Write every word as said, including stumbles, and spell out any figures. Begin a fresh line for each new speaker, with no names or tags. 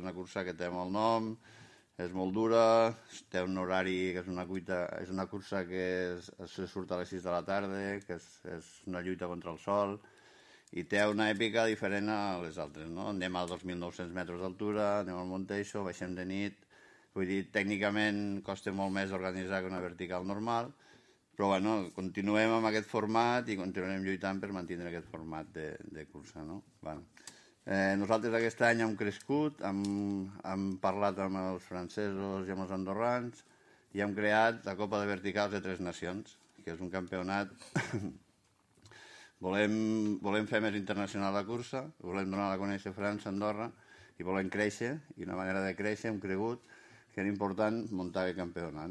Una cursa que té molt nom, és molt dura, té un horari que és una, cuita, és una cursa que es, se surt a les sis de la tarda, que és, és una lluita contra el sol, i té una èpica diferent a les altres, no? Anem a dos mil nou-cents metres d'altura, anem al Monteixo, baixem de nit, vull dir, tècnicament costa molt més organitzar que una vertical normal, però bueno, continuem amb aquest format i continuarem lluitant per mantenir aquest format de, de cursa, no? Bueno. Eh, nosaltres aquest any hem crescut, hem, hem parlat amb els francesos i amb els andorrans i hem creat la Copa de Verticals de Tres Nacions, que és un campionat. volem, volem fer més internacional la cursa, volem donar a conèixer França, Andorra, i volem créixer, i una manera de créixer hem cregut que era important muntar aquest campionat.